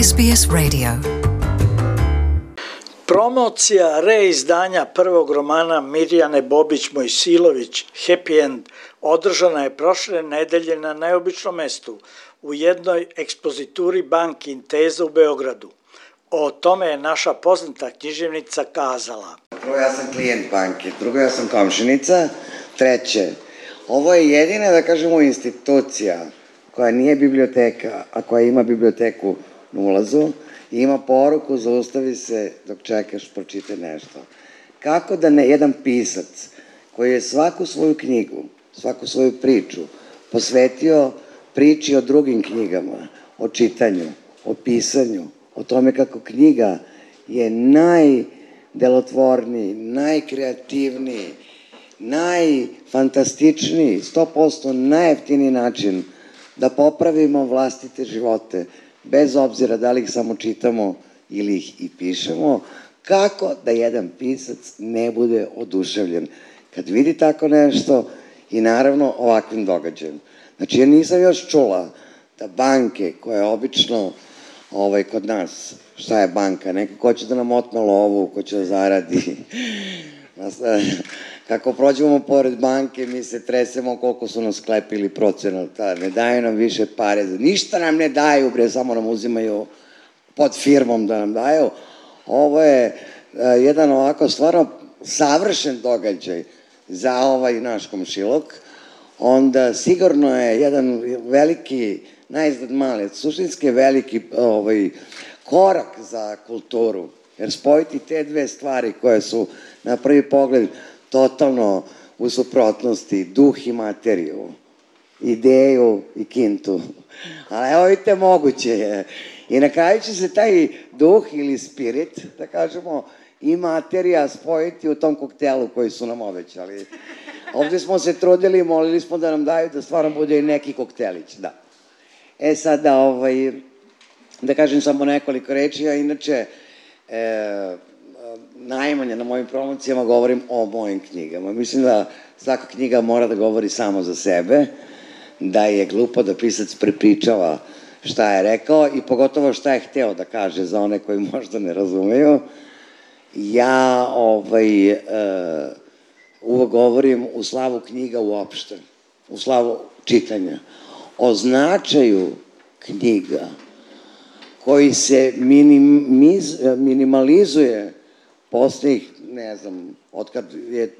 SBS Radio. Promocija reizdanja prvog romana Mirjane Bobić Mojsilović Happy End održana je prošle nedelje na neobičnom mestu u jednoj ekspozituri banki Inteza u Beogradu. O tome je naša poznata književnica kazala. Prvo, ja sam klijent banke, drugo, ja sam komšinica, treće, ovo je jedina, da kažemo, institucija koja nije biblioteka, a koja ima biblioteku na ulazu i ima poruku zaustavi se dok čekaš, pročitaj nešto. Kako da ne jedan pisac koji je svaku svoju knjigu, svaku svoju priču posvetio priči o drugim knjigama, o čitanju, o pisanju, o tome kako knjiga je najdelotvorniji, najkreativniji, najfantastičniji, 100% najjeftiniji način da popravimo vlastite živote, bez obzira da li ih samo čitamo ili ih i pišemo, kako da jedan pisac ne bude oduševljen kad vidi tako nešto i naravno ovakvim događajem. Znači, ja nisam još čula da banke koje obično kod nas, šta je banka, neko ko će da nam otme lovu, ko će da zaradi. Kako prođemo pored banke, mi se tresemo koliko su nas sklepili procenata, ne daju nam više pare, ništa nam ne daju, bre, samo nam uzimaju pod firmom da nam daju. Ovo je jedan ovako stvarno savršen događaj za ovaj naš komšiluk, onda sigurno je jedan veliki, najizgled mali, suštinski veliki korak za kulturu, jer spojiti te dve stvari koje su na prvi pogled totalno u suprotnosti, duh i materiju, ideju i kintu. Ali evo vidite, moguće je. I na kraju će se taj duh ili spirit, da kažemo, i materija spojiti u tom koktelu koji su nam obećali. Ovde smo se trudili i molili smo da nam daju da stvarno bude i neki koktelić, da. Sad da kažem samo nekoliko reči, a inače najmanje na mojim promocijama govorim o mojim knjigama. Mislim da svaka knjiga mora da govori samo za sebe, da je glupo da pisac prepričava šta je rekao i pogotovo šta je hteo da kaže za one koji možda ne razumeju. Ja uvek govorim u slavu knjiga uopšte, u slavu čitanja, o značaju knjiga koji se minimalizuje poslednjih, ne znam, otkad je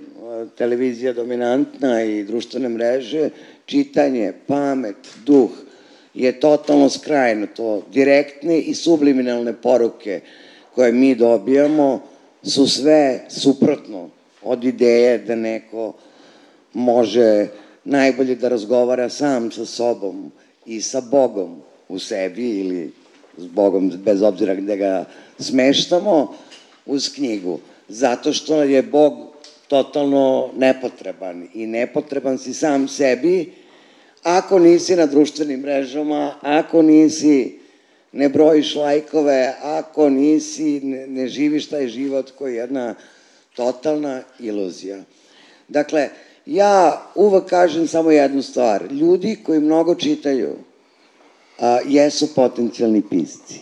televizija dominantna i društvene mreže, čitanje, pamet, duh je totalno skrajnuto. Direktne i subliminalne poruke koje mi dobijamo su sve suprotno od ideje da neko može najbolje da razgovara sam sa sobom i sa Bogom u sebi ili s Bogom, bez obzira gde ga smeštamo, uz knjigu. Zato što je Bog totalno nepotreban i nepotreban si sam sebi ako nisi na društvenim mrežama, ako ne brojiš lajkove, ako ne živiš taj život koji je jedna totalna iluzija. Dakle, ja uvek kažem samo jednu stvar. Ljudi koji mnogo čitaju jesu potencijalni pisci.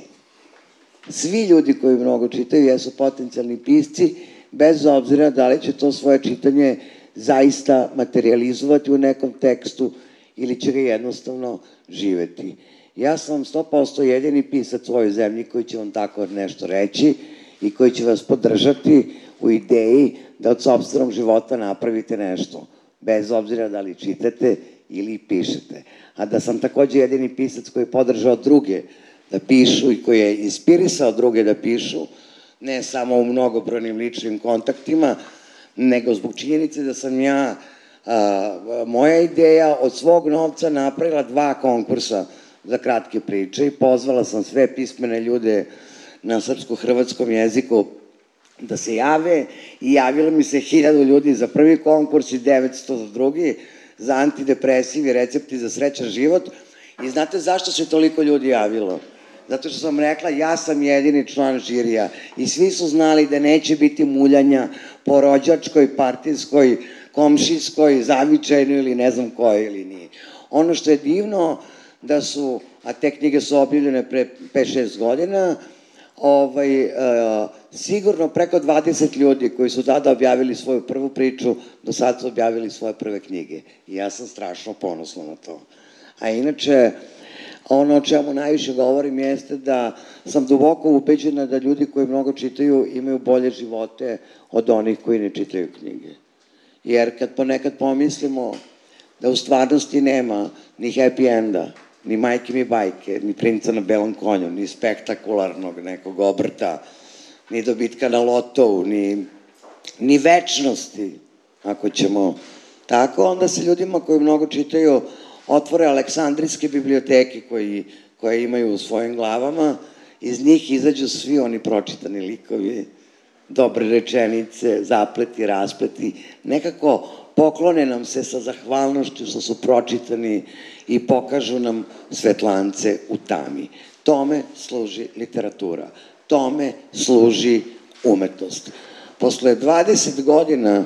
Svi ljudi koji mnogo čitaju jesu potencijalni pisci, bez obzira da li će to svoje čitanje zaista materializovati u nekom tekstu ili će ga jednostavno živeti. Ja sam 100% jedini pisac u ovoj zemlji koji će vam tako nešto reći i koji će vas podržati u ideji da od sopstvenog života napravite nešto, bez obzira da li čitate ili pišete. A da sam takođe jedini pisac koji je podržao druge da pišu i koji je inspirisao druge da pišu, ne samo u mnogobrojnim ličnim kontaktima, nego zbog činjenice da sam ja, moja ideja od svog novca napravila 2 konkursa za kratke priče i pozvala sam sve pismene ljude na srpsko-hrvatskom jeziku da se jave i javilo mi se 1000 ljudi za prvi konkurs i 900 za drugi, za antidepresivi recepti za srećan život. I znate zašto se toliko ljudi javilo? Zato što sam rekla, ja sam jedini član žirija i svi su znali da neće biti muljanja po rođačkoj, partijskoj, komšijskoj, zavičajnoj ili ne znam kojoj ili nije. Ono što je divno, da su a te knjige su objavljene pre 5-6 godina, sigurno preko 20 ljudi koji su tada objavili svoju prvu priču, do sad su objavili svoje prve knjige. I ja sam strašno ponosna na to. A inače, ono o čemu najviše govorim jeste da sam duboko ubeđena da ljudi koji mnogo čitaju imaju bolje živote od onih koji ne čitaju knjige. Jer kad ponekad pomislimo da u stvarnosti nema ni happy enda, ni majke mi bajke, ni princa na belom konju, ni spektakularnog nekog obrta, ni dobitka na lotovu, ni večnosti, ako ćemo tako, onda se ljudima koji mnogo čitaju otvore aleksandrijske biblioteke koje imaju u svojim glavama, iz njih izađu svi oni pročitani likovi, dobre rečenice, zapleti, raspleti, nekako poklone nam se sa zahvalnošću što su pročitani i pokažu nam svetlance u tami. Tome služi literatura, tome služi umetnost. Posle 20 godina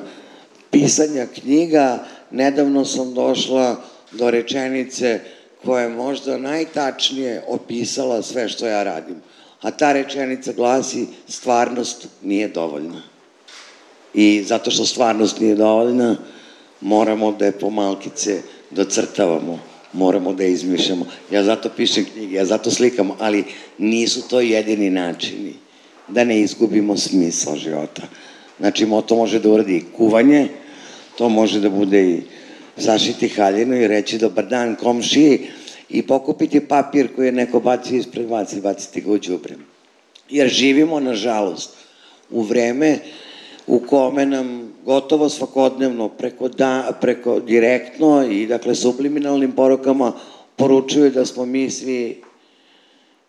pisanja knjiga, nedavno sam došla do rečenice koja je možda najtačnije opisala sve što ja radim. A ta rečenica glasi: stvarnost nije dovoljna. I zato što stvarnost nije dovoljna, moramo da je pomalkice docrtavamo, moramo da je izmišljamo. Ja zato pišem knjige, ja zato slikam, ali nisu to jedini načini da ne izgubimo smisla života. Znači, to može da uradi i kuvanje, to može da bude i sašiti haljinu i reći dobar dan komšiji i pokupiti papir koji je neko bacio ispred vas i baciti ga u đubre. Jer živimo, nažalost, u vreme u kome nam gotovo svakodnevno preko direktno i dakle subliminalnim porukama poručuju da smo mi svi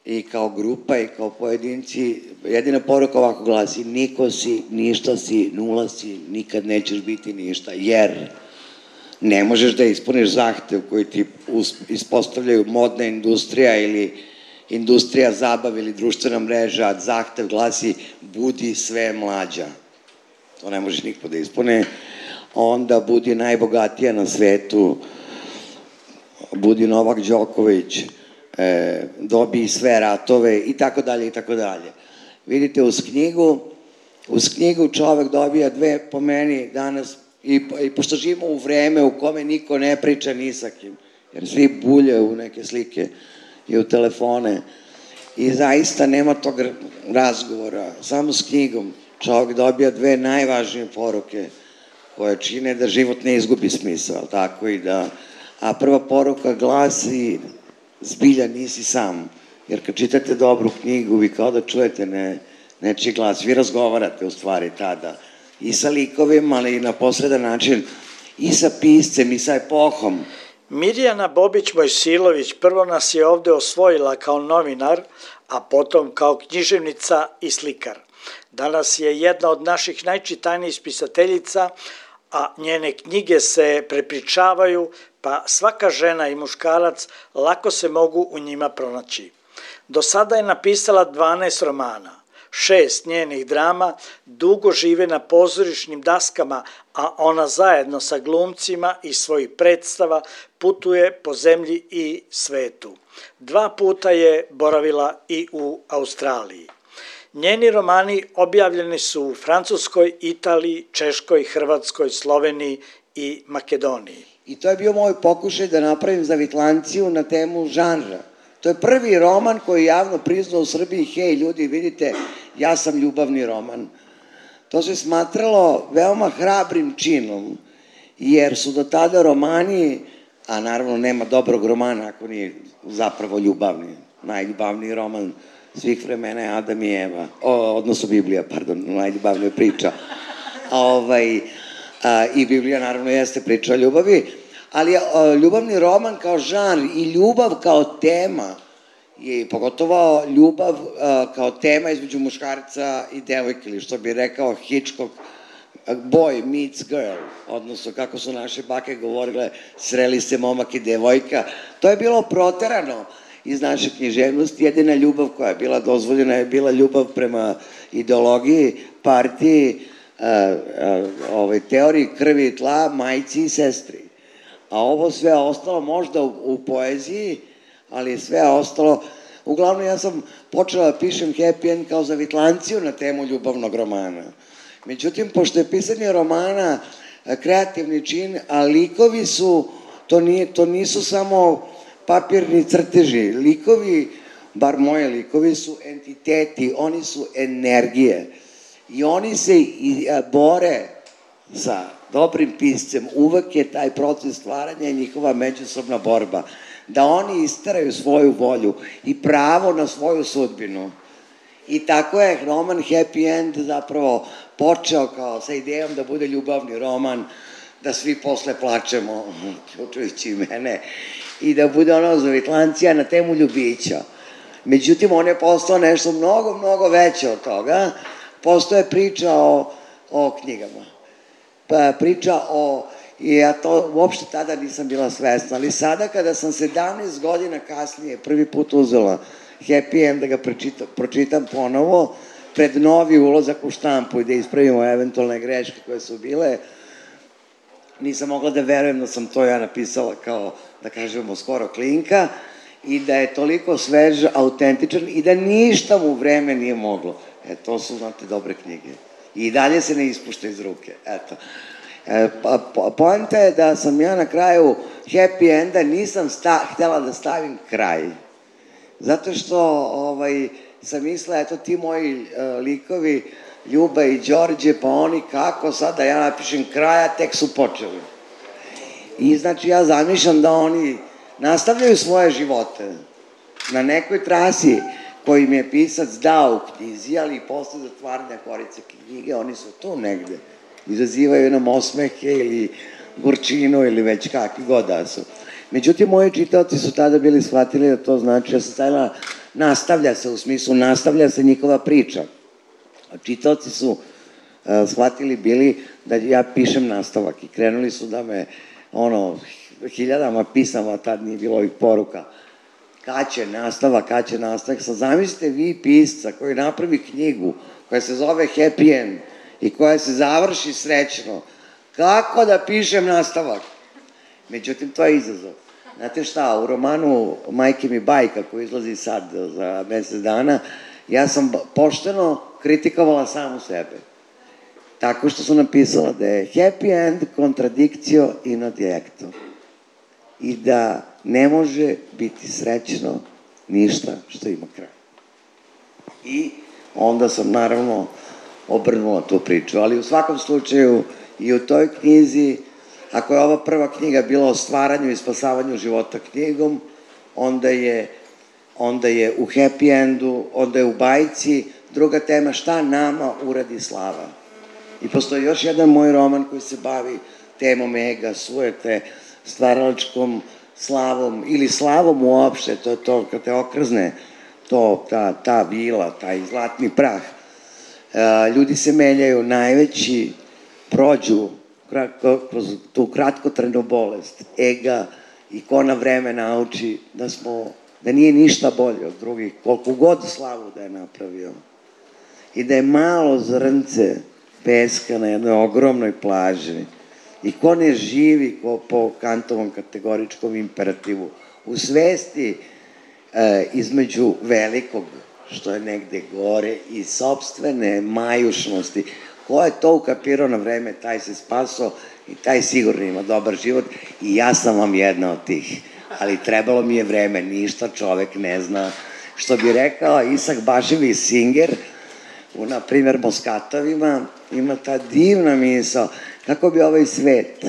i kao grupa i kao pojedinci, jedina poruka ovako glasi: niko si, ništa si, nula si, nikad nećeš biti ništa, jer ne možeš da ispuniš zahtev koji ti ispostavljaju modna industrija ili industrija zabave ili društvena mreža, a zahtev glasi: budi sve mlađa. To ne može niko da ispune. Onda budi najbogatija na svetu, budi Novak Đoković, dobij sve ratove i tako dalje i tako dalje. Vidite, uz knjigu čovek dobija dve, po meni danas, i pošto živimo u vreme u kome niko ne priča ni sa kim, jer svi bulje u neke slike i u telefone i zaista nema tog razgovora, samo s knjigom čovek dobija dve najvažnije poruke koje čine da život ne izgubi smisao, tako i da, a prva poruka glasi: zbilja nisi sam, jer kad čitate dobru knjigu vi kao da čujete nečiji glas, vi razgovarate u stvari tada i sa likovima, ali i na posredan način i sa piscem i sa epohom. Mirjana Bobić Mojsilović prvo nas je ovde osvojila kao novinar, a potom kao književnica i slikar. Danas je jedna od naših najčitanijih pisateljica, a njene knjige se prepričavaju, pa svaka žena i muškarac lako se mogu u njima pronaći. Do sada je napisala 12 romana, 6 njenih drama dugo žive na pozorišnim daskama, a ona zajedno sa glumcima iz svojih predstava putuje po zemlji i svetu. 2 puta je boravila i u Australiji. Njeni romani objavljeni su u Francuskoj, Italiji, Češkoj, Hrvatskoj, Sloveniji i Makedoniji. I to je bio moj pokušaj da napravim zavitlanciju na temu žanra. To je prvi roman koji je javno priznao u Srbiji: hej ljudi, vidite, ja sam ljubavni roman. To se smatralo veoma hrabrim činom, jer su do tada romani, a naravno nema dobrog romana ako nije zapravo ljubavni. Najljubavniji roman svih vremena je Adam i Eva, odnosno Biblija, pardon, najljubavnija priča. I Biblija naravno jeste priča o ljubavi, ali ljubavni roman kao žanr i ljubav kao tema, i pogotovo ljubav kao tema između muškarca i devojke, ili što bi rekao Hitchcock, boy meets girl, odnosno kako su naše bake govorile, sreli se momak i devojka. To je bilo proterano iz naše književnosti. Jedina ljubav koja je bila dozvoljena je bila ljubav prema ideologiji, partiji, teoriji krvi i tla, majci i sestri. A ovo sve ostalo možda u poeziji, ali sve ostalo, uglavnom ja sam počela da pišem happy end kao zavitlanciju na temu ljubavnog romana. Međutim, pošto je pisanje romana kreativni čin, a likovi su, to nisu samo papirni crteži, likovi, bar moje likovi su entiteti, oni su energije i oni se bore sa dobrim piscem, uvek je taj proces stvaranja i njihova međusobna borba, da oni isteraju svoju volju i pravo na svoju sudbinu. I tako je roman Happy End zapravo počeo kao sa idejom da bude ljubavni roman, da svi posle plačemo, uključujući mene, i da bude ono zavitlancija na temu ljubića. Međutim, on je postao nešto mnogo, mnogo veće od toga. Postoje priča o knjigama. Priča o, i ja to uopšte tada nisam bila svesna, ali sada kada sam 17 godina kasnije prvi put uzela Happy End da ga pročitam ponovo, pred novi ulazak u štampu i da ispravimo eventualne greške koje su bile, nisam mogla da verujem da sam to ja napisala kao, da kažemo, skoro klinka i da je toliko svež, autentičan i da ništa mu vreme nije moglo. To su, znate, dobre knjige. I dalje se ne ispušta iz ruke. Eto. Poenta je da sam ja na kraju Happy Enda nisam htela da stavim kraj. Zato što sam mislila, eto ti moji likovi, Ljuba i Đorđe, pa oni kako sad da ja napišem kraja, tek su počeli. I znači ja zamišljam da oni nastavljaju svoje živote na nekoj trasi koju im je pisac dao u knjizi, ali i posle zatvaranja korice knjige, oni su tu negde. Izazivaju nam osmehe ili gorčinu ili već kakvi god da su. Međutim, moji čitaoci su tada bili shvatili da to znači da se stavila, nastavlja se, u smislu nastavlja se njihova priča. A čitaoci su shvatili bili da ja pišem nastavak i krenuli su da me, hiljadama pisama, tad nije bilo ovih poruka, kad će nastavak. Sad zamislite vi pisca koji napravi knjigu koja se zove Happy End i koja se završi srećno, kako da pišem nastavak? Međutim, to je izazov. Znate šta, u romanu Majke mi bajka, koji izlazi sad za mesec dana, ja sam pošteno kritikovala samu sebe. Tako što sam napisala da je happy end contradictio in adjecto. I da ne može biti srećno ništa što ima kraj. I onda sam naravno obrnula tu priču. Ali u svakom slučaju i u toj knjizi, ako je ova prva knjiga bila o stvaranju i spasavanju života knjigom, onda je u happy endu, onda je u bajci druga tema šta nama uradi slava. I postoji još jedan moj roman koji se bavi temom ega, sujete, stvaralačkom slavom ili slavom uopšte, to je to kad te okrzne, ta vila, taj zlatni prah. Ljudi se menjaju, najveći prođu kroz tu kratkotrajnu bolest, ega, i ko na vreme nauči da nije ništa bolje od drugih, koliko god slavu da je napravio. I da je malo zrnce peska na jednoj ogromnoj plaži. I ko ne živi po Kantovom kategoričkom imperativu, u svesti između velikog, što je negde gore, i sopstvene majušnosti. Ko je to ukapirao na vreme, taj se spaso i taj sigurno ima dobar život i ja sam vam jedna od tih. Ali trebalo mi je vreme, ništa čovek ne zna. Što bi rekao Isak Baševi Singer, na primjer Moskatovima, ima ta divna misao kako bi ovaj svet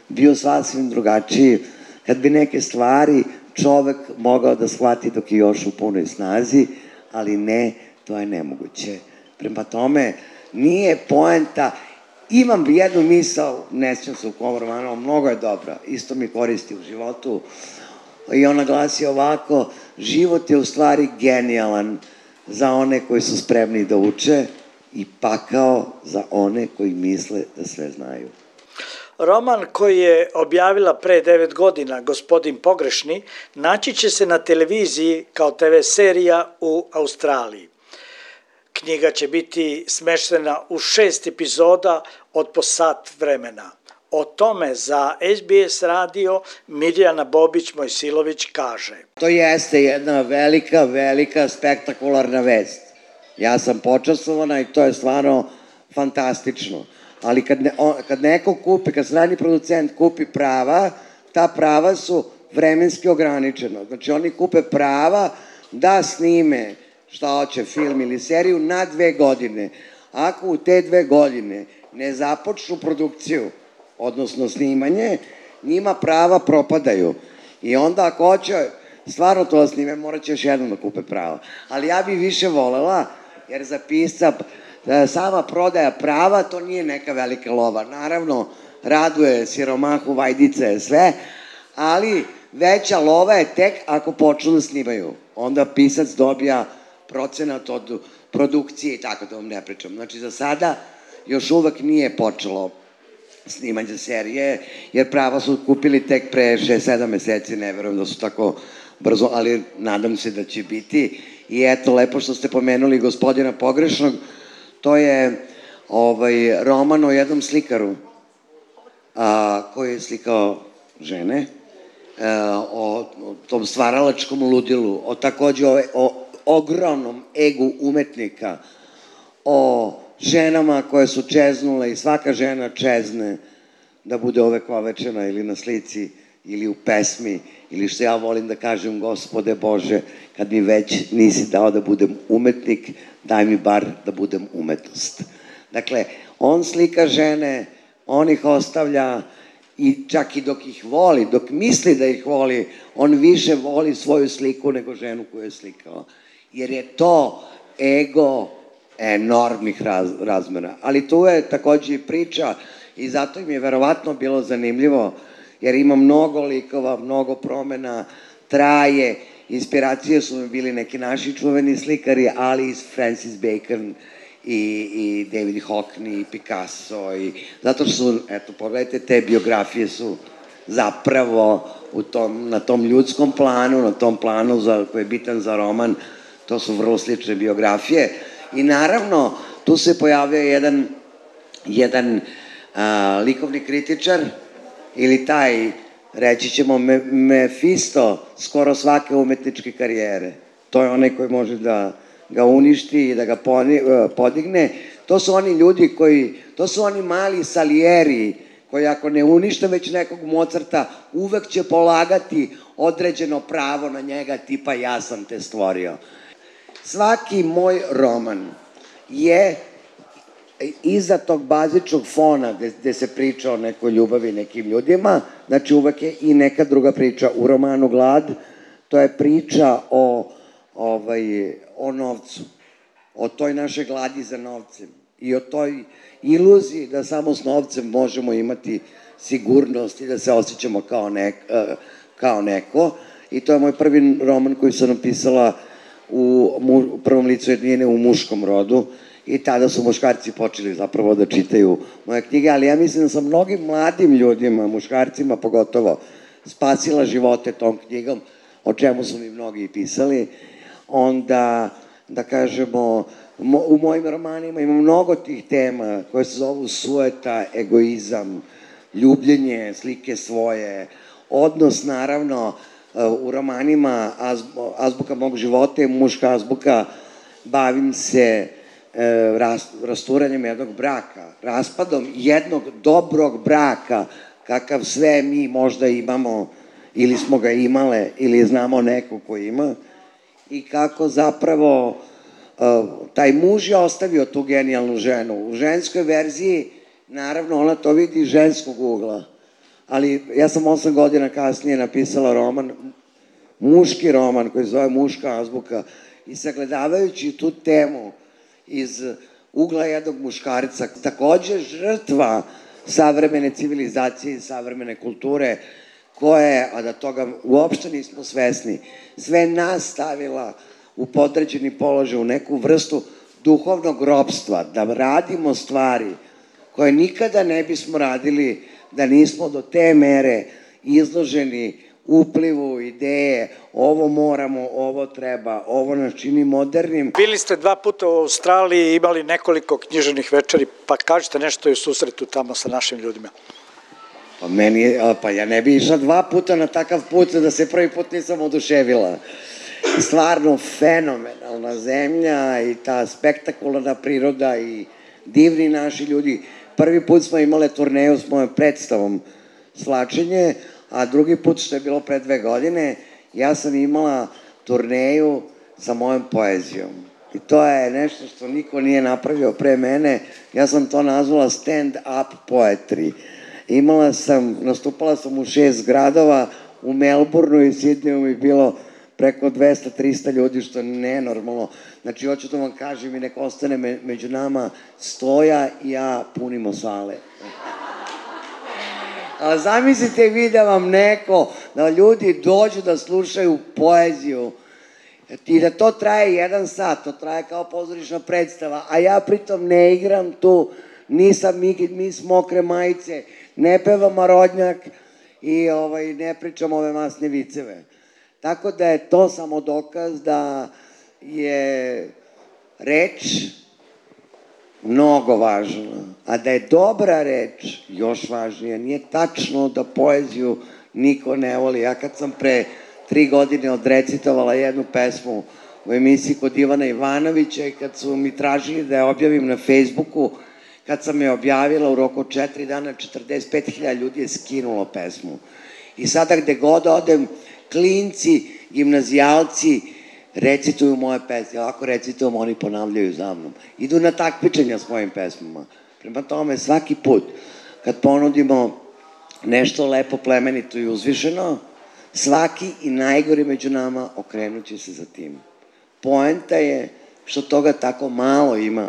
bio sasvim drugačiji kad bi neke stvari čovek mogao da shvati dok je još u punoj snazi, ali ne, to je nemoguće. Prema tome, nije poenta, imam jednu misao, ne sjećam se u kom romanu, mnogo je dobra, isto mi koristi u životu, i ona glasi ovako: život je u stvari genijalan za one koji su spremni da uče i pakao za one koji misle da sve znaju. Roman koji je objavila pre 9 godina Gospodin pogrešni naći će se na televiziji kao TV serija u Australiji. Knjiga će biti smeštena u 6 epizoda od po sat vremena. O tome za SBS radio Mirjana Bobić-Mojsilović kaže. To jeste jedna velika, spektakularna vest. Ja sam počastvovana i to je stvarno fantastično. Ali kad neko kupi, kad strani producent kupi prava, ta prava su vremenski ograničena. Znači oni kupe prava da snime šta hoće, film ili seriju na 2 godine. Ako u te 2 godine ne započnu produkciju, odnosno snimanje, njima prava propadaju. I onda ako hoće stvarno to snime, morat će još jednom da kupe prava. Ali ja bih više volela, jer za pisca sama prodaja prava, to nije neka velika lova. Naravno, raduje siromahu, vajdice, sve, ali veća lova je tek ako počnu da snimaju. Onda pisac dobija procenat od produkcije i tako da vam ne pričam. Znači, za sada još uvek nije počelo snimanje serije, jer prava su kupili tek pre 6-7 meseci, ne verujem da su tako brzo, ali nadam se da će biti. I eto, lepo što ste pomenuli Gospodina pogrešnog, to je roman o jednom slikaru koji je slikao žene, o tom stvaralačkom ludilu, o takođe o ogromnom egu umetnika, o ženama koje su čeznule i svaka žena čezne da bude ovekovečena ili na slici ili u pesmi, ili što ja volim da kažem, Gospode Bože, kad mi već nisi dao da budem umetnik, daj mi bar da budem umetnost. Dakle, on slika žene, on ih ostavlja i čak i dok ih voli, dok misli da ih voli, on više voli svoju sliku nego ženu koju je slikao. Jer je to ego enormnih razmera. Ali tu je takođe i priča i zato im je verovatno bilo zanimljivo, jer ima mnogo likova, mnogo promena, traje, inspiracije su mi bili neki naši čuveni slikari, ali i Francis Bacon i David Hockney i Picasso i zato što su, eto, pogledajte, te biografije su zapravo na tom ljudskom planu, na tom planu koji je bitan za roman, to su vrlo slične biografije i naravno tu se pojavio jedan likovni kritičar ili taj, reći ćemo, Mefisto skoro svake umetničke karijere. To je onaj koji može da ga uništi i da ga podigne. To su oni ljudi to su oni mali Salieri koji ako ne unište već nekog Mozarta, uvek će polagati određeno pravo na njega, tipa ja sam te stvorio. Svaki moj roman je iza tog bazičnog fona gde se priča o nekoj ljubavi nekim ljudima, znači uvek je i neka druga priča. U romanu Glad to je priča o novcu, o toj našoj gladi za novcem i o toj iluziji da samo s novcem možemo imati sigurnost i da se osjećamo kao neko. I to je moj prvi roman koji sam napisala u prvom licu jednine u muškom rodu i tada su muškarci počeli zapravo da čitaju moje knjige, ali ja mislim da sam mnogim mladim ljudima, muškarcima pogotovo, spasila živote tom knjigom, o čemu su mi mnogi pisali. Onda, da kažemo, u mojim romanima ima mnogo tih tema koje se zovu sueta, egoizam, ljubljenje, slike svoje, odnos, naravno, u romanima Azbuka mog života je muška azbuka, bavim se rasturanjem jednog braka, raspadom jednog dobrog braka, kakav sve mi možda imamo, ili smo ga imale, ili znamo neko ko ima, i kako zapravo taj muž je ostavio tu genijalnu ženu. U ženskoj verziji, naravno, ona to vidi iz ženskog ugla, ali ja sam 8 godina kasnije napisala roman, muški roman koji se zove Muška azbuka i sagledavajući tu temu iz ugla jednog muškarca, takođe žrtva savremene civilizacije i savremene kulture, koja je, a da toga uopšte nismo svesni, sve nas stavila u podređeni položaj, u neku vrstu duhovnog ropstva, da radimo stvari koje nikada ne bismo radili da nismo do te mere izloženi uplivu, ideje, ovo moramo, ovo treba, ovo nas čini modernim. Bili ste 2 puta u Australiji i imali nekoliko književnih večeri, pa kažete nešto i u susretu tamo sa našim ljudima. Pa ja ne bi išla 2 puta na takav put da se prvi put nisam oduševila. Stvarno fenomenalna zemlja i ta spektakularna priroda i divni naši ljudi. Prvi put smo imali turneju s mojom predstavom Svlačenje, a drugi put, što je bilo pre 2 godine, ja sam imala turneju sa mojom poezijom. I to je nešto što niko nije napravio pre mene. Ja sam to nazvala stand-up poetry. Nastupala sam u 6 gradova, u Melbourneu i Sidneju mi bilo preko 200-300 ljudi, što je nenormalno. Znači, hoću da vam kažem i neko ostane među nama, Stoja i ja punimo sale. A zamislite vi da vam da ljudi dođu da slušaju poeziju i da to traje 1 sat, to traje kao pozorišna predstava, a ja pritom ne igram tu, nisam mis mokre majice, ne pevam Marodnjak i ne pričam ove masne viceve. Tako da je to samo dokaz da je reč mnogo važna, a da je dobra reč još važnija. Nije tačno da poeziju niko ne voli. Ja kad sam pre 3 godine odrecitovala jednu pesmu u emisiji kod Ivana Ivanovića i kad su mi tražili da je objavim na Facebooku, kad sam je objavila u roku 4 dana, 45.000 ljudi je skinulo pesmu. I sada gde god odem, klinci, gimnazijalci recituju moje pesme. Ako recitujem, oni ponavljaju za mnom. Idu na takmičenja s mojim pesmama. Prema tome, svaki put kad ponudimo nešto lepo, plemenito i uzvišeno, svaki i najgori među nama okrenut će se za tim. Poenta je što toga tako malo ima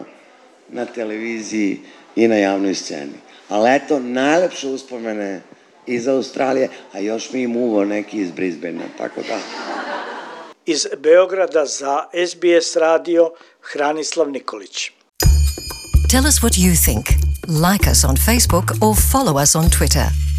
na televiziji i na javnoj sceni. Ali eto, najlepše uspomene iz Australije, a još mi im uvo neki iz Brisbanea, tako da. Iz Beograda za SBS radio Hranislav Nikolić. Tell us what you think. Like us on Facebook or follow us on Twitter.